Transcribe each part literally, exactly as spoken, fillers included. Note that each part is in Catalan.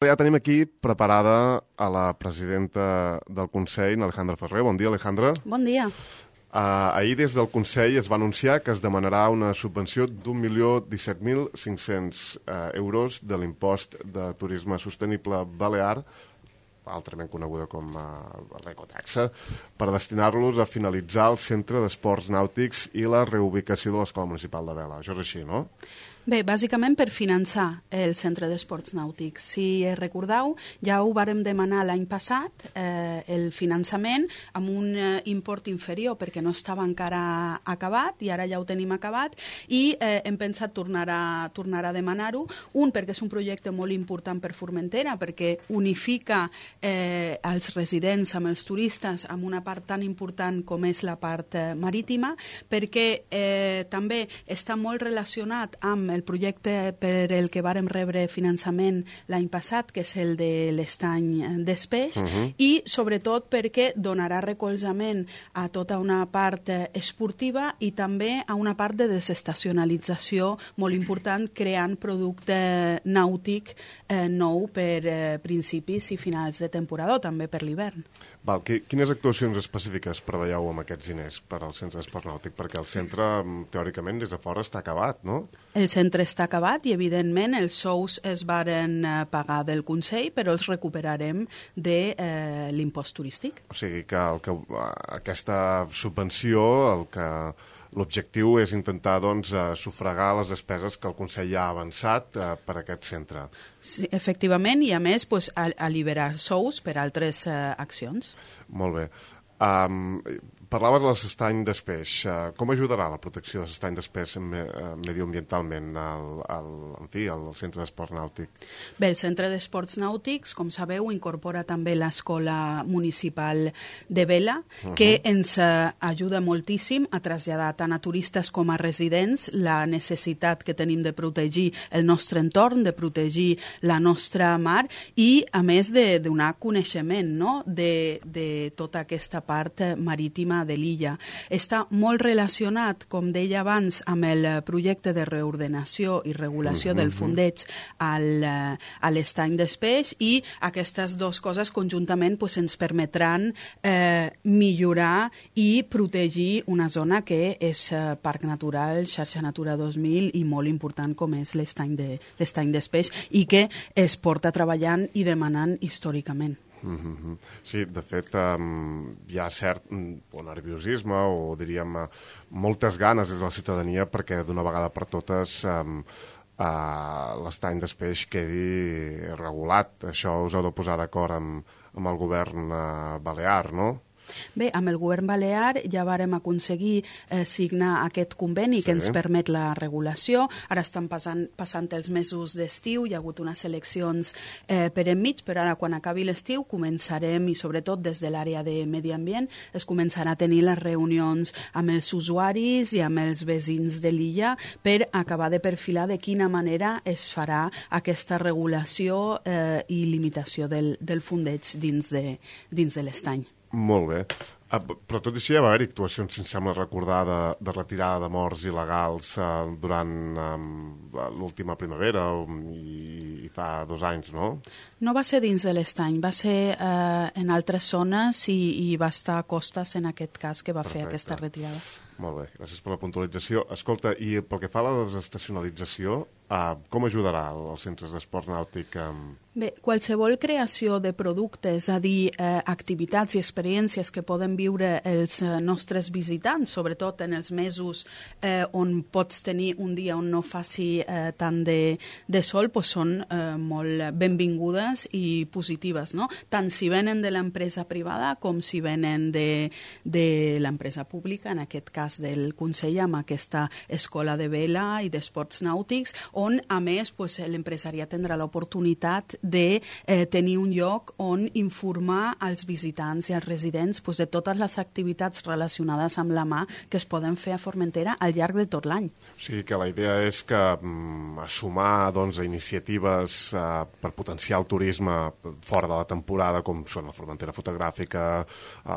Ja tenim aquí preparada a la presidenta del Consell, Alejandra Ferrer. Bon dia, Alejandra. Bon dia. Uh, ahir des del Consell es va anunciar que es demanarà una subvenció d'un milió disset mil cinc-cents uh, euros de l'impost de turisme sostenible balear, altrament coneguda com uh, l'ecotaxa, per destinar-los a finalitzar el centre d'esports nàutics i la reubicació de l'Escola Municipal de Vela. Això és així, no? Bé, bàsicament per finançar el Centre d'Esports Nàutics. Si recordeu, ja ho vàrem demanar l'any passat, eh, el finançament amb un eh, import inferior perquè no estava encara acabat i ara ja ho tenim acabat i eh, hem pensat tornar a, tornar a demanar-ho. Un, perquè és un projecte molt important per Formentera, perquè unifica eh, els residents amb els turistes amb una part tan important com és la part eh, marítima, perquè eh, també està molt relacionat amb el projecte per el que vàrem rebre finançament l'any passat, que és el de l'estany d'Espeix, uh -huh. i sobretot perquè donarà recolzament a tota una part esportiva i també a una part de desestacionalització molt important, creant producte nàutic eh, nou per eh, principis i finals de temporada, també per l'hivern. Val, quines actuacions específiques preveieu amb aquests diners per al centre d'esport nàutic? Perquè el centre, teòricament, des de fora està acabat, no? El centre està acabat i, evidentment, els sous es varen eh, pagar del Consell, però els recuperarem de eh, l'impost turístic. O sigui que, el que aquesta subvenció, el que l'objectiu és intentar doncs, eh, sufragar les despeses que el Consell ja ha avançat eh, per a aquest centre. Sí, efectivament, i a més pues, alliberar sous per altres eh, accions. Molt bé. Um, parlaves de l'estany d'Espeix. Uh, com ajudarà la protecció de l'estany d'Espeix me, uh, mediambientalment al, al, en fi, al centre d'esports nàutic? Bé, el centre d'esports nàutics, com sabeu, incorpora també l'Escola Municipal de Vela, uh -huh. que ens uh, ajuda moltíssim a traslladar tant a turistes com a residents la necessitat que tenim de protegir el nostre entorn, de protegir la nostra mar i, a més, de donar coneixement, no?, de, de tota aquesta part marítima de l'illa. Està molt relacionat, com deia abans, amb el projecte de reordenació i regulació uh -huh. del fondeig al, a l'estany d'Espeix i aquestes dues coses conjuntament pues, ens permetran eh, millorar i protegir una zona que és eh, Parc Natural, Xarxa Natura dos mil i molt important com és l'estany de, l'estany d'Espeix i que es porta treballant i demanant històricament. Mm-hmm. Sí, de fet, um, hi ha cert o nerviosisme o, diríem, uh, moltes ganes des de la ciutadania perquè d'una vegada per totes um, uh, l'estany d'Espeix quedi regulat. Això us heu de posar d'acord amb, amb el govern uh, balear, no? Bé, amb el govern balear ja vàrem aconseguir eh, signar aquest conveni sí. que ens permet la regulació. Ara estan passant, passant els mesos d'estiu, hi ha hagut unes eleccions eh, per enmig, però ara quan acabi l'estiu començarem, i sobretot des de l'àrea de medi ambient, es començarà a tenir les reunions amb els usuaris i amb els veïns de l'illa per acabar de perfilar de quina manera es farà aquesta regulació eh, i limitació del, del fondeig dins de, dins de l'estany. Molt bé. Uh, però tot i així ja va haver actuacions, si em sembla recordar, de, de retirada de morts il·legals uh, durant um, l'última primavera um, i, i fa dos anys, no? No va ser dins de l'estany, va ser uh, en altres zones i, i va estar a Costes, en aquest cas, que va Perfecte. fer aquesta retirada. Molt bé, gràcies per la puntualització. Escolta, i pel que fa a la desestacionalització, uh, com ajudarà els centres d'esports nàutic? Um... Bé, qualsevol creació de productes, és a dir, eh, activitats i experiències que poden viure els eh, nostres visitants, sobretot en els mesos eh, on pots tenir un dia on no faci eh, tant de, de sol, pues són eh, molt benvingudes i positives, no? Tant si venen de l'empresa privada com si venen de, de l'empresa pública, en aquest cas del Consell, amb aquesta escola de vela i d'esports nàutics, on, a més, pues, l'empresariat tindrà l'oportunitat de eh, tenir un lloc on informar als visitants i als residents pues, de tot totes les activitats relacionades amb la mà que es poden fer a Formentera al llarg de tot l'any. O sigui que la idea és que mm, sumar doncs, iniciatives eh, per potenciar el turisme fora de la temporada, com són la Formentera Fotogràfica,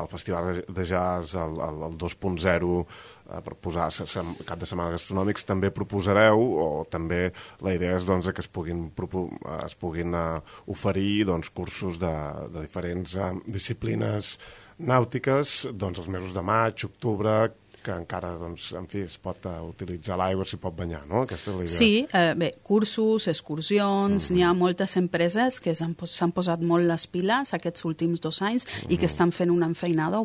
el Festival de Jazz, el, el, el dos punt zero, eh, per posar cap de setmana gastronòmics, també proposareu, o també la idea és doncs, que es puguin, es puguin uh, oferir doncs, cursos de, de diferents uh, disciplines nàutiques doncs, els mesos de maig, octubre, que encara, doncs, en fi, es pot uh, utilitzar l'aigua, s'hi pot banyar, no? Aquesta és la idea. Sí, eh, bé, cursos, excursions, mm-hmm. n'hi ha moltes empreses que s'han pos posat molt les piles aquests últims dos anys mm-hmm. i que estan fent una enfeinada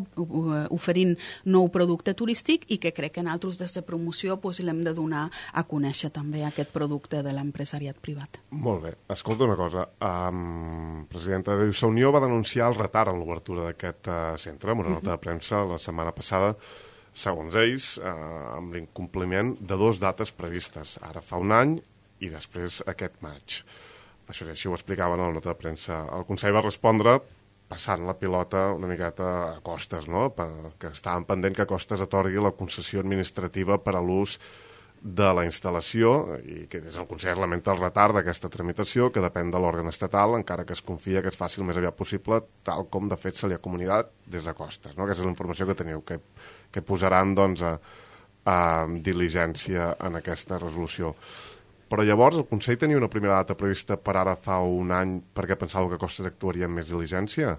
oferint nou producte turístic i que crec que nosaltres des de promoció pues, l'hem de donar a conèixer també aquest producte de l'empresariat privat. Molt bé. Escolta una cosa. Um, presidenta, la Unió va denunciar el retard en l'obertura d'aquest uh, centre amb una nota de premsa la setmana passada, segons ells, eh, amb l'incompliment de dues dates previstes, ara fa un any i després aquest maig. Això és així, ho explicaven a la nota de premsa. El Consell va respondre passant la pilota una miqueta a Costes, no? Que estaven pendent que Costes atorgui la concessió administrativa per a l'ús de la instal·lació i que des del Consell es lamenta el retard d'aquesta tramitació que depèn de l'òrgan estatal, encara que es confia que es faci el més aviat possible, tal com de fet se li ha comunicat des de Costes. No? Aquesta és la informació que teniu, que, que posaran doncs, a, a diligència en aquesta resolució. Però llavors el Consell tenia una primera data prevista per ara fa un any perquè pensava que Costes actuaria amb més diligència?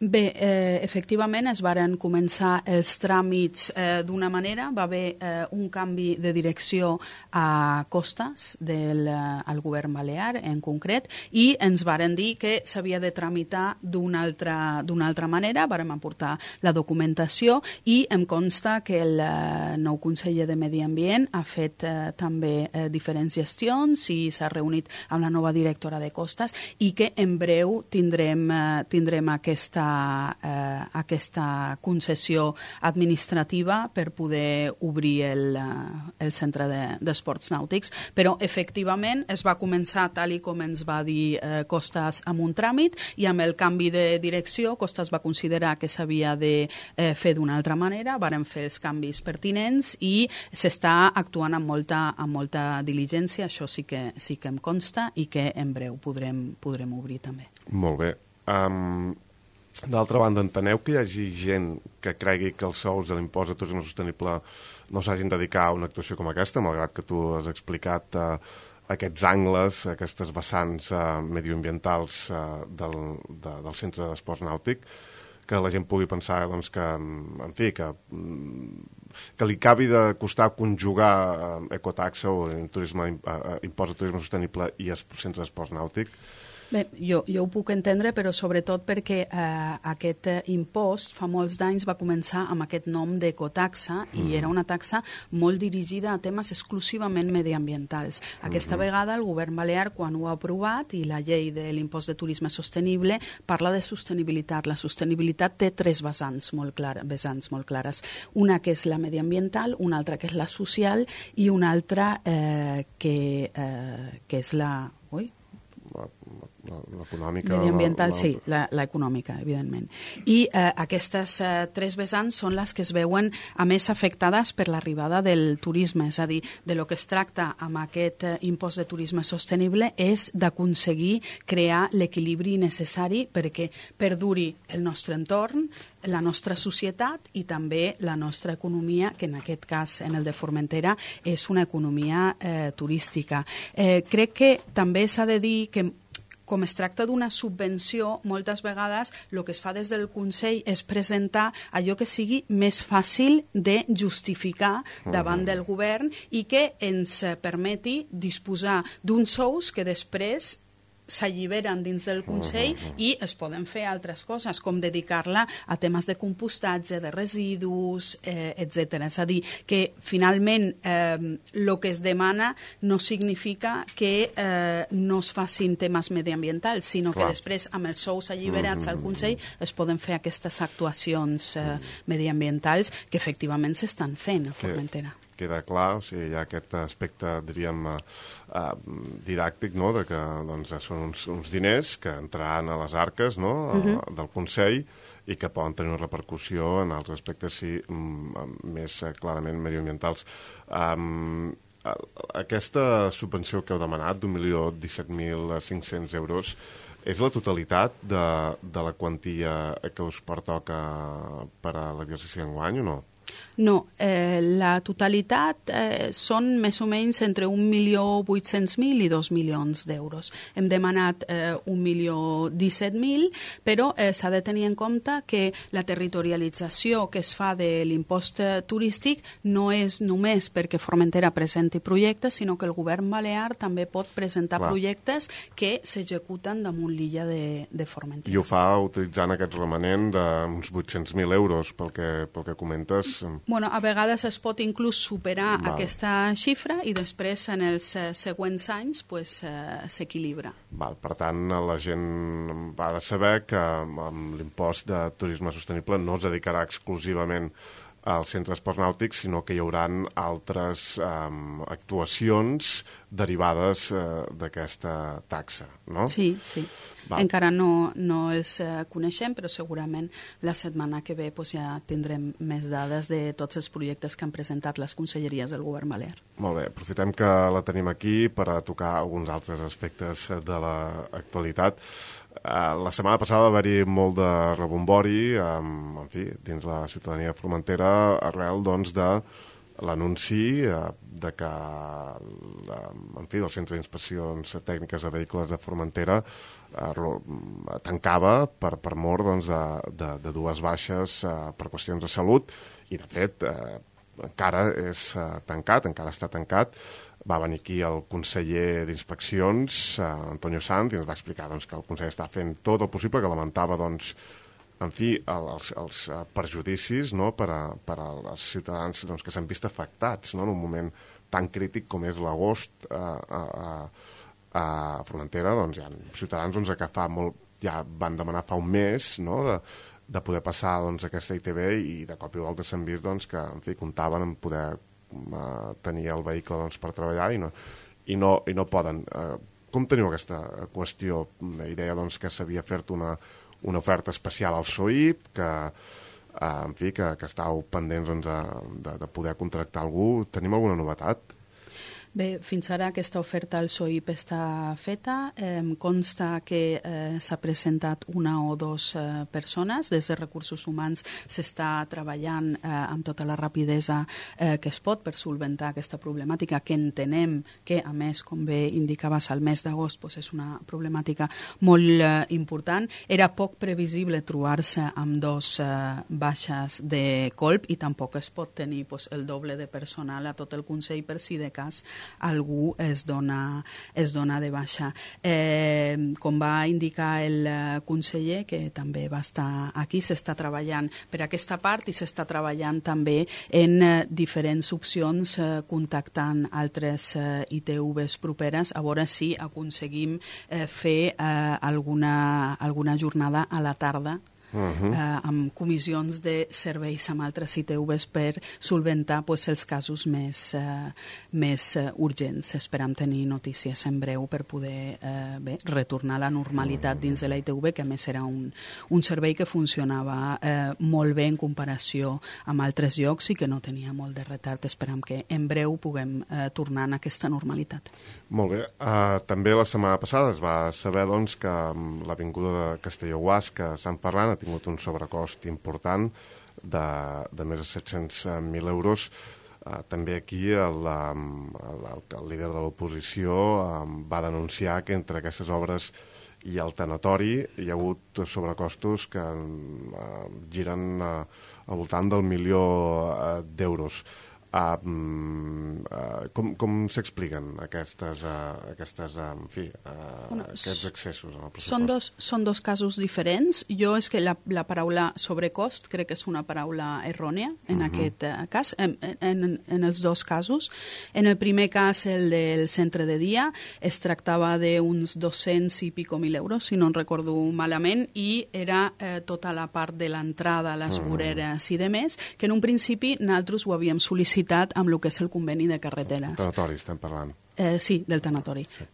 Bé, eh, efectivament es varen començar els tràmits eh, d'una manera, va haver eh, un canvi de direcció a Costes del eh, al govern balear en concret i ens varen dir que s'havia de tramitar d'una altra, d'una altra manera, vàrem aportar la documentació i em consta que el eh, nou conseller de Medi Ambient ha fet eh, també eh, diferents gestions i s'ha reunit amb la nova directora de Costes i que en breu tindrem, eh, tindrem aquesta Eh, aquesta concessió administrativa per poder obrir el, el centre d'esports de, nàutics, però efectivament es va començar tal i com ens va dir eh, Costes amb un tràmit i amb el canvi de direcció Costes va considerar que s'havia de eh, fer d'una altra manera, varen fer els canvis pertinents i s'està actuant amb molta, amb molta diligència, això sí que, sí que em consta i que en breu podrem, podrem obrir també. Molt bé. Um... D'altra banda, enteneu que hi hagi gent que cregui que els sous de l'impost de turisme sostenible no s'hagin de dedicar a una actuació com aquesta, malgrat que tu has explicat eh, aquests angles, aquestes vessants eh, medioambientals eh, del, de, del centre d'esports nàutic, que la gent pugui pensar doncs, que, en fi, que, que li acabi de costar conjugar eh, ecotaxa o turisme, eh, impost de turisme sostenible i el centre d'esports nàutic. Bé, jo, jo ho puc entendre, però sobretot perquè eh, aquest eh, impost fa molts d'anys va començar amb aquest nom d'ecotaxa i mm. era una taxa molt dirigida a temes exclusivament mediambientals. Aquesta mm-hmm. vegada el govern balear, quan ho ha aprovat, i la llei de l'impost de turisme sostenible parla de sostenibilitat. La sostenibilitat té tres vessants molt, clar, vessants molt clares. Una que és la mediambiental, una altra que és la social i una altra eh, que, eh, que és la... Ui? L'econòmica... Mediambiental, la, la... sí, l'econòmica, evidentment. I eh, aquestes eh, tres vessants són les que es veuen a més afectades per l'arribada del turisme, és a dir, de lo que es tracta amb aquest eh, impost de turisme sostenible és d'aconseguir crear l'equilibri necessari perquè perduri el nostre entorn, la nostra societat i també la nostra economia, que en aquest cas, en el de Formentera, és una economia eh, turística. Eh, crec que també s'ha de dir que com es tracta d'una subvenció, moltes vegades el que es fa des del Consell és presentar allò que sigui més fàcil de justificar davant del govern i que ens permeti disposar d'uns sous que després s'alliberen dins del Consell i es poden fer altres coses, com dedicar-la a temes de compostatge, de residus, eh, etcètera. És a dir, que finalment el eh, que es demana no significa que eh, no es facin temes mediambientals, sinó Clar. que després, amb els sous alliberats al Consell, es poden fer aquestes actuacions eh, mediambientals que efectivament s'estan fent a Formentera. queda clar, o sigui, hi ha aquest aspecte, diríem, uh, uh, didàctic, no?, de que doncs, són uns, uns diners que entraran a les arques, no?, uh-huh. del Consell, i que poden tenir una repercussió en altres aspectes, sí, més clarament mediambientals. Um, aquesta subvenció que heu demanat, d'un milió disset mil cinc-cents euros, és la totalitat de, de la quantia que us pertoca per a l'exercici d'enguany o no? No, eh, la totalitat eh, són més o menys entre un milió vuit-cents mil i dos milions d'euros. Hem demanat eh, un milió disset mil, però eh, s'ha de tenir en compte que la territorialització que es fa de l'impost turístic no és només perquè Formentera presenti projectes, sinó que el govern balear també pot presentar Clar. projectes que s'executen damunt l'illa de, de Formentera. I ho fa utilitzant aquest remanent d'uns vuit-cents mil euros, pel que, pel que comentes. Bueno, a vegades es pot inclús superar Val. aquesta xifra i després en els eh, següents anys pues, eh, s'equilibra. Val, per tant, la gent ha de saber que amb l'impost de turisme sostenible no es dedicarà exclusivament als centres esports nàutics, sinó que hi haurà altres um, actuacions derivades uh, d'aquesta taxa, no? Sí, sí. Val. Encara no, no els eh, coneixem, però segurament la setmana que ve pues, ja tindrem més dades de tots els projectes que han presentat les conselleries del govern balear. Molt bé, aprofitem que la tenim aquí per a tocar alguns altres aspectes de l'actualitat. Uh, la setmana passada va haver-hi molt de rebombori, um, en fi, dins la ciutadania formentera, arrel doncs, de l'anunci uh, de que uh, en fi, el Centre d'Inspeccions Tècniques a Vehicles de Formentera uh, tancava per, per mort doncs, de, de, de dues baixes uh, per qüestions de salut, i de fet uh, encara és uh, tancat, encara està tancat. Va venir aquí el conseller d'Inspeccions, eh, Antonio Sanz, i ens va explicar doncs, que el conseller està fent tot el possible, que lamentava doncs, en fi, els, els perjudicis, no?, per, a, per als ciutadans doncs, que s'han vist afectats, no?, en un moment tan crític com és l'agost eh, a, a, a Formentera. Doncs hi ha ciutadans doncs, que fa molt, ja van demanar fa un mes, no?, de, de poder passar doncs, aquesta I T B, i de cop i volta s'han vist doncs, que en fi, comptaven en poder tenir el vehicle doncs, per treballar i no, i no, i no poden. Eh, com teniu aquesta qüestió? La idea doncs, que s'havia fet una, una oferta especial al S O I P, que, eh, en fi, que, que estàu pendents doncs, de, de poder contractar algú. Tenim alguna novetat? Bé, fins ara aquesta oferta al S O I P està feta. Eh, consta que eh, s'ha presentat una o dues eh, persones. Des de Recursos Humans s'està treballant eh, amb tota la rapidesa eh, que es pot per solventar aquesta problemàtica, que entenem que, a més, com bé indicaves, al mes d'agost pues, és una problemàtica molt eh, important. Era poc previsible trobar-se amb dos eh, baixes de colp i tampoc es pot tenir pues, el doble de personal a tot el Consell per si de cas algú es dona, es dona de baixa. Eh, com va indicar el conseller, que també va estar aquí, s'està treballant per aquesta part i s'està treballant també en eh, diferents opcions eh, contactant altres eh, I T Vs properes a veure si aconseguim eh, fer eh, alguna, alguna jornada a la tarda Uh-huh. eh, amb comissions de serveis amb altres I T Vs per solventar pues, els casos més, eh, més eh, urgents. Esperam tenir notícies en breu per poder eh, bé, retornar a la normalitat dins de la I T V, que a més era un, un servei que funcionava eh, molt bé en comparació amb altres llocs i que no tenia molt de retard. Esperam que en breu puguem eh, tornar a aquesta normalitat. Molt bé. Uh, també la setmana passada es va saber doncs, que l'avinguda de Castelló-Guàs, que Sant Ferran, ha tingut un sobrecost important de, de més de set-cents mil euros. Uh, també aquí el, el, el líder de l'oposició um, va denunciar que entre aquestes obres i el tanatori hi ha hagut sobrecostos que uh, giren uh, al voltant del milió uh, d'euros. Uh, uh, com com s'expliquen aquestes, uh, aquestes uh, en fi, uh, bueno, aquests excessos en el pressupost? Són dos, són dos casos diferents. Jo és que la, la paraula sobrecost crec que és una paraula errònia en uh-huh. aquest uh, cas, en, en, en els dos casos. En el primer cas, el del centre de dia, es tractava d'uns dos-cents i pico mil euros, si no en recordo malament, i era eh, tota la part de l'entrada, les voreres uh-huh. i demés, que en un principi nosaltres ho havíem sol·licitat licitat amb el que és el conveni de carreteres. Tanatori, estem parlant. Eh, sí, del tanatori. Sí.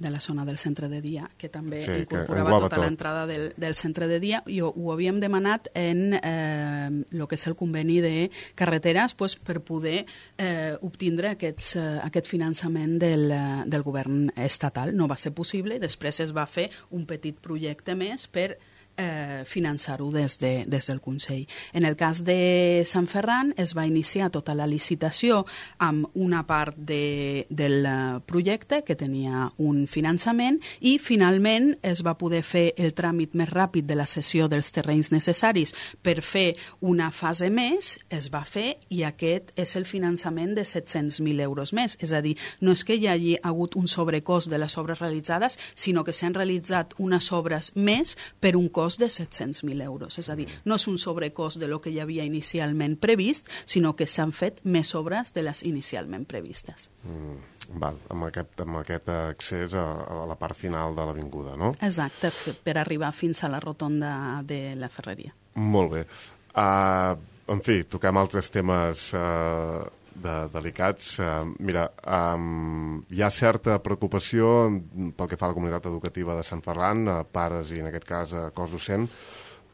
De la zona del centre de dia, que també sí, incorporava tota l'entrada del, del centre de dia, i ho, ho havíem demanat en eh, el que és el conveni de carreteres pues, per poder eh, obtindre aquests, eh, aquest finançament del, del govern estatal. No va ser possible, després es va fer un petit projecte més per Eh, finançar-ho des, de, des del Consell. En el cas de Sant Ferran es va iniciar tota la licitació amb una part de, del projecte que tenia un finançament i finalment es va poder fer el tràmit més ràpid de la cessió dels terrenys necessaris per fer una fase més, es va fer i aquest és el finançament de set-cents mil euros més. És a dir, no és que hi hagi hagut un sobrecost de les obres realitzades, sinó que s'han realitzat unes obres més per un cost de set-cents mil euros. És a dir, no és un sobrecost de lo que hi havia inicialment previst, sinó que s'han fet més obres de les inicialment previstes. Mm, val, amb aquest, amb aquest accés a, a la part final de l'avinguda, no? Exacte, per arribar fins a la rotonda de la Ferreria. Molt bé. Uh, en fi, toquem altres temes uh, de, delicats. Uh, mira, um, hi ha certa preocupació pel que fa a la comunitat educativa de Sant Ferran, a pares i en aquest cas a cos docent,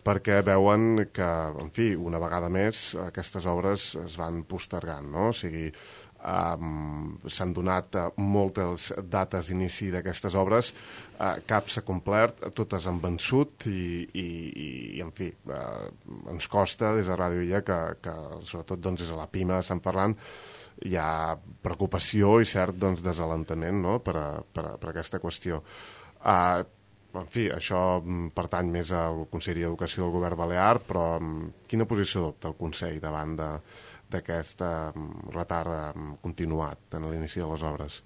perquè veuen que, en fi, una vegada més aquestes obres es van postergant, no? O sigui, um, s'han donat uh, moltes dates d'inici d'aquestes obres, uh, cap s'ha complert, totes han vençut i, i, i en fi, uh, ens costa des de Ràdio Illa que, que sobretot doncs, des de la Pima de Sant Ferran hi ha preocupació i cert doncs, desalentament, no? per, a, per, a, per a aquesta qüestió. Uh, en fi, això pertany més al Consell d'Educació del Govern Balear, però um, quina posició adopta el Consell davant de d'aquest um, retard um, continuat en l'inici de les obres?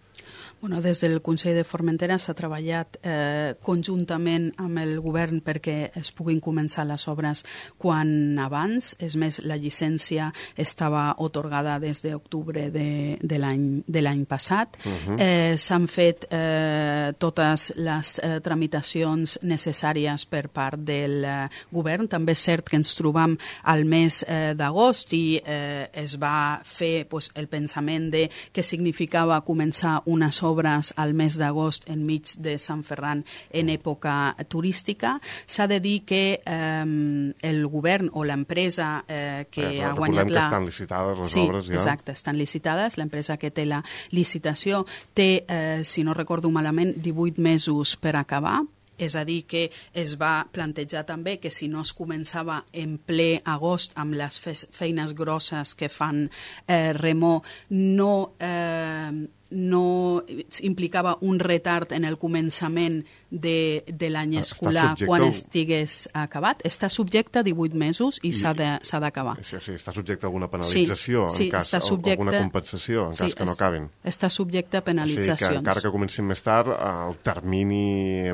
Bueno, des del Consell de Formentera s'ha treballat eh, conjuntament amb el govern perquè es puguin començar les obres quan abans. És més, la llicència estava atorgada des d'octubre de, de l'any passat. Uh-huh. eh, S'han fet eh, totes les eh, tramitacions necessàries per part del eh, govern. També és cert que ens trobam al mes eh, d'agost i eh, es va fer pues, el pensament de què significava començar unes obres al mes d'agost enmig de Sant Ferran en època turística. S'ha de dir que eh, el govern o l'empresa eh, que eh, ha guanyat la... que estan licitades les sí, obres ja. Exacte, estan licitades. L'empresa que té la licitació té, eh, si no recordo malament, divuit mesos per acabar. És a dir, que es va plantejar també que si no es començava en ple agost amb les feines grosses que fan eh, Remor, no... Eh, no implicava un retard en el començament de, de l'any escolar quan estigués acabat. Està subjecte a divuit mesos i, I s'ha d'acabar. Sí, sí, està subjecte a alguna penalització, sí, sí, en cas, subjecte, alguna compensació, en sí, cas que no acabin. Està subjecte a penalitzacions. O sigui que encara que comencin més tard, el termini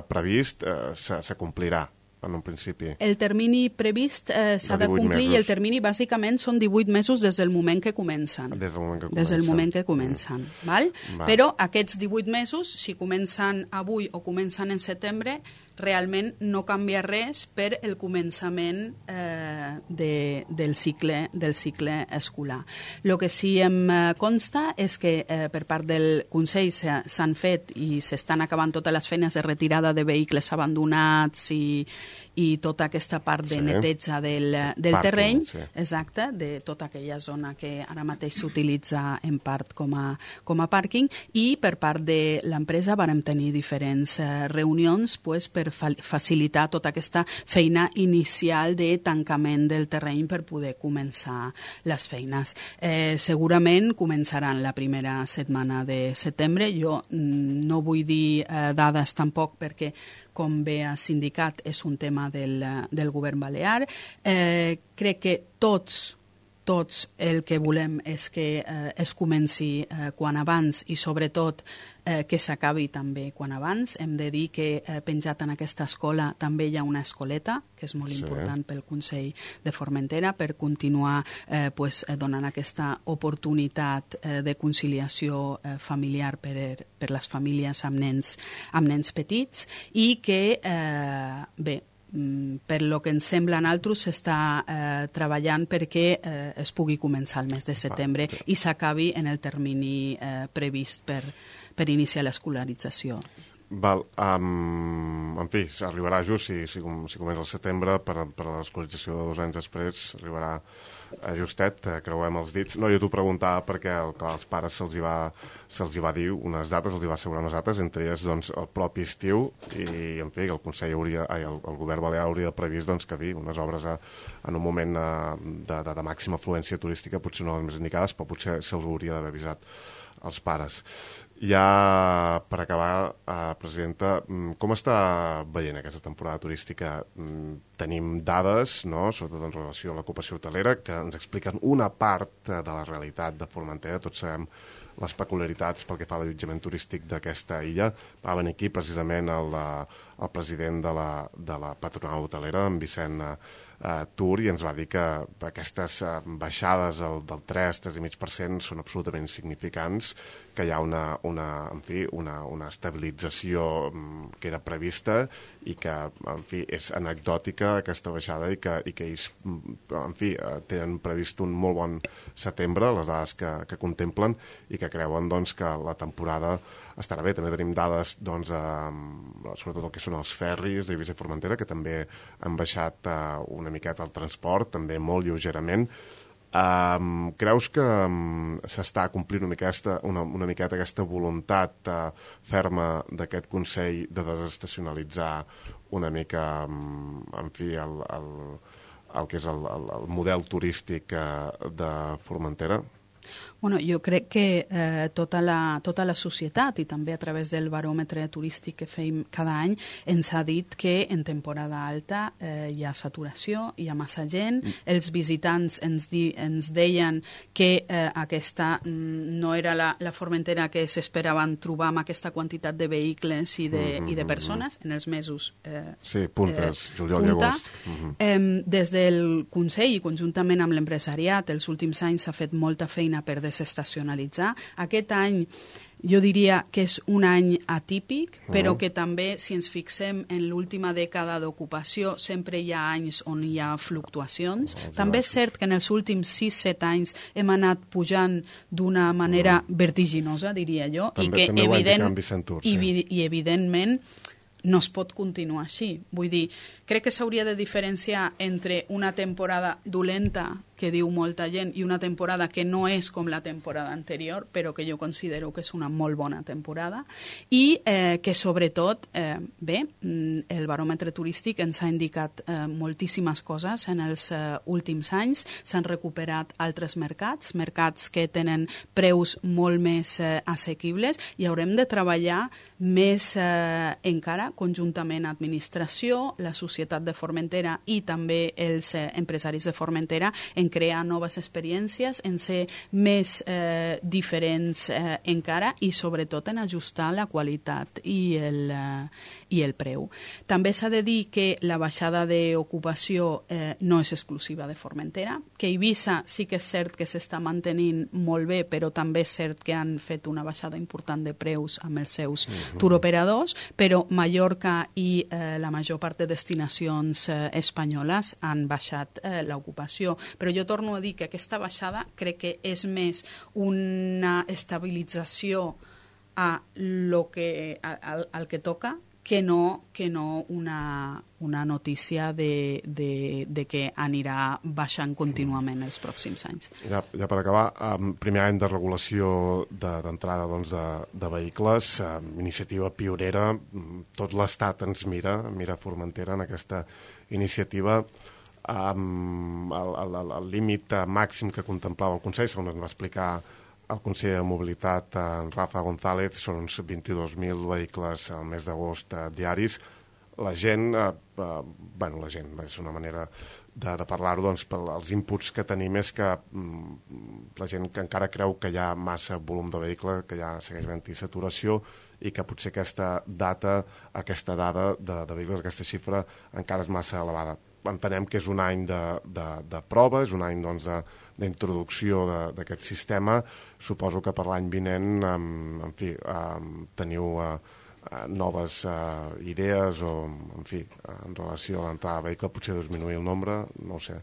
previst eh, se complirà en un principi. El termini previst eh, s'ha de, de complir mesos. I el termini bàsicament són divuit mesos des del moment que comencen. Des del moment que comencen. Des del moment que comencen. Mm. Val? Va. Però aquests divuit mesos, si comencen avui o comencen en setembre, realment no canvia res per el començament eh, de, del, cicle, del cicle escolar. El que sí em consta és que eh, per part del Consell s'han fet i s'estan acabant totes les feines de retirada de vehicles abandonats i, i tota aquesta part de sí. neteja del, del Parking, terreny, sí. exacte, de tota aquella zona que ara mateix s'utilitza en part com a, com a pàrquing, i per part de l'empresa vàrem tenir diferents eh, reunions pues, per facilitar tota aquesta feina inicial de tancament del terreny per poder començar les feines. Eh, segurament començaran la primera setmana de setembre. Jo mm, no vull dir eh, dades tampoc perquè, com bé has indicat, és un tema del, del govern balear. Eh, crec que tots tots el que volem és que eh, es comenci eh, quan abans i sobretot eh, que s'acabi també quan abans. Hem de dir que eh, penjat en aquesta escola també hi ha una escoleta, que és molt sí. important pel Consell de Formentera per continuar eh, pues, donant aquesta oportunitat eh, de conciliació eh, familiar per, per les famílies amb nens, amb nens petits i que, eh, bé, per lo que ens sembla a nosaltres, s'està eh, treballant perquè eh, es pugui començar el mes de setembre i s'acabi en el termini eh, previst per, per iniciar l'escolarització. Val, um, en fi, arribarà just si, si, si comença el setembre per, per a l'escolarització de dos anys després, arribarà justet, eh, creuem els dits. No, jo t'ho preguntava perquè el, als pares se'ls hi, va, se'ls hi va dir unes dates, els hi va assegurar unes dates, entre elles doncs, el propi estiu, i en fi, el Consell hauria, ai, el, el govern balear hauria previst doncs, que dir unes obres a, en un moment a, de, de, de màxima afluència turística, potser no les més indicades, però potser se'ls hauria d'haver avisat als pares. Ja per acabar, eh, presidenta, com està veient aquesta temporada turística? Tenim dades, no?, sobretot en relació a l'ocupació hotelera, que ens expliquen una part de la realitat de Formentera. Tots sabem les peculiaritats pel que fa a l'allotjament turístic d'aquesta illa. Va venir aquí precisament el, el president de la, de la patronal hotelera, en Vicent eh, Tur, i ens va dir que aquestes eh, baixades el, del tres, tres coma cinc per cent són absolutament significants, que hi ha una, una, en fi, una, una estabilització que era prevista i que, en fi, és anecdòtica aquesta baixada i que, i que ells, en fi, tenen previst un molt bon setembre, les dades que, que contemplen, i que creuen doncs, que la temporada estarà bé. També tenim dades, doncs, eh, sobretot el que són els ferris d'Eivissa i Formentera, que també han baixat eh, una miqueta el transport, també molt lleugerament. Um, creus que um, s'està complint una miqueta, una, una miqueta aquesta voluntat uh, ferma d'aquest Consell de desestacionalitzar una mica, um, en fi, el, el, el que és el, el, el model turístic uh, de Formentera? Bueno, jo crec que eh, tota, la, tota la societat i també a través del baròmetre turístic que fem cada any ens ha dit que en temporada alta eh, hi ha saturació, hi ha massa gent, mm. els visitants ens, di, ens deien que eh, aquesta mm, no era la, la Formentera que s'esperaven trobar amb aquesta quantitat de vehicles i de, mm -hmm. i de persones en els mesos eh, sí, puntes, eh, juliol punta. i agost. Mm -hmm. eh, des del Consell i conjuntament amb l'empresariat els últims anys s'ha fet molta feina per desestacionalitzar. Aquest any jo diria que és un any atípic, però uh-huh. que també, si ens fixem en l'última dècada d'ocupació, sempre hi ha anys on hi ha fluctuacions. Uh-huh. També és cert que en els últims sis set anys hem anat pujant d'una manera uh-huh. vertiginosa, diria jo, també, i que també evident, Tur, i, sí. i evidentment no es pot continuar així. Vull dir, crec que s'hauria de diferenciar entre una temporada dolenta, que diu molta gent, i una temporada que no és com la temporada anterior, però que jo considero que és una molt bona temporada, i eh, que sobretot, eh, bé, el baròmetre turístic ens ha indicat eh, moltíssimes coses en els eh, últims anys. S'han recuperat altres mercats, mercats que tenen preus molt més eh, assequibles, i haurem de treballar més eh, encara conjuntament administració, la societat de Formentera i també els eh, empresaris de Formentera en crear noves experiències, en ser més eh, diferents eh, encara, i sobretot en ajustar la qualitat i el, eh, i el preu. També s'ha de dir que la baixada d'ocupació eh, no és exclusiva de Formentera, que Eivissa sí que és cert que s'està mantenint molt bé, però també és cert que han fet una baixada important de preus amb els seus uh-huh. turoperadors, però Mallorca i eh, la major part de destinacions eh, espanyoles han baixat eh, l'ocupació. Però jo torno a dir que aquesta baixada crec que és més una estabilització a lo que, a, al, al que toca, que no, que no una, una notícia de, de, de que anirà baixant contínuament els pròxims anys. Ja, ja per acabar, um, primer any de regulació d'entrada de, doncs, de, de vehicles, um, iniciativa pionera, tot l'Estat ens mira, mira Formentera en aquesta iniciativa. Um, el, el, el límit màxim que contemplava el Consell, segons ens va explicar el conseller de Mobilitat, en Rafa González, són uns vint-i-dos mil vehicles al mes d'agost eh, diaris. La gent, eh, eh, bueno, la gent, és una manera de, de parlar-ho, doncs, pels inputs que tenim és que mm, la gent que encara creu que hi ha massa volum de vehicle, que ja segueix havent-hi saturació, i que potser aquesta data, aquesta dada de, de vehicles, aquesta xifra, encara és massa elevada. Entenem que és un any de, de, de prova, és un any doncs, d'introducció d'aquest sistema. Suposo que per l'any vinent, um, en fi, um, teniu uh, noves uh, idees o, en fi, en relació a l'entrada de vehicle, potser disminuir el nombre, no ho sé.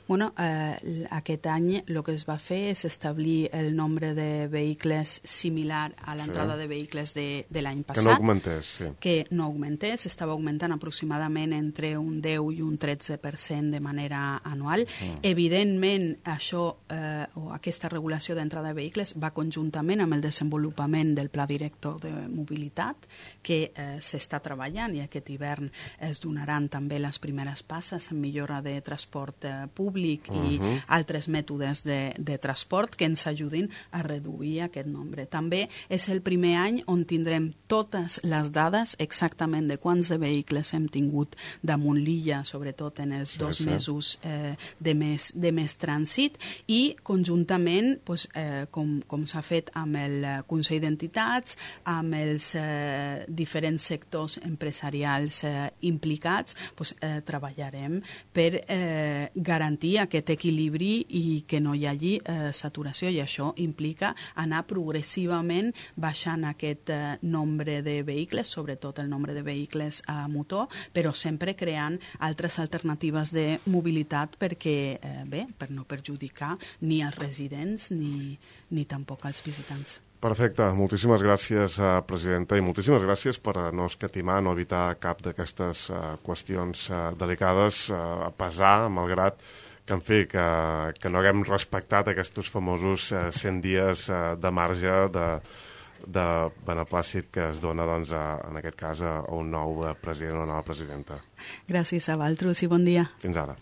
Bueno, eh, aquest any el que es va fer és establir el nombre de vehicles similar a l'entrada sí. de vehicles de, de l'any passat. Que no augmentés, sí. Que no augmentés, estava augmentant aproximadament entre un deu i un tretze per cent de manera anual. Mm. Evidentment, això eh, o aquesta regulació d'entrada de vehicles va conjuntament amb el desenvolupament del Pla Director de Mobilitat, que eh, s'està treballant i aquest hivern es donaran també les primeres passes en millora de transport eh, públic i uh -huh. altres mètodes de, de transport que ens ajudin a reduir aquest nombre. També és el primer any on tindrem totes les dades exactament de quants de vehicles hem tingut damunt l'illa, sobretot en els sí, dos sí. mesos eh, de, més, de més trànsit, i conjuntament, pues, eh, com, com s'ha fet amb el Consell d'Entitats, amb els eh, diferents sectors empresarials eh, implicats, pues, eh, treballarem per eh, garantir aquest equilibri i que no hi hagi eh, saturació, i això implica anar progressivament baixant aquest eh, nombre de vehicles, sobretot el nombre de vehicles a motor, però sempre creant altres alternatives de mobilitat perquè, eh, bé, per no perjudicar ni els residents ni, ni tampoc els visitants. Perfecte, moltíssimes gràcies, uh, presidenta, i moltíssimes gràcies per no escatimar, no evitar cap d'aquestes uh, qüestions uh, delicades, uh, a pesar, malgrat que, en fi, que, que no haguem respectat aquests famosos uh, cent dies uh, de marge de, de beneplàcit que es dona, doncs, a, en aquest cas, a un nou president o una nova presidenta. Gràcies a vosaltres i bon dia. Fins ara.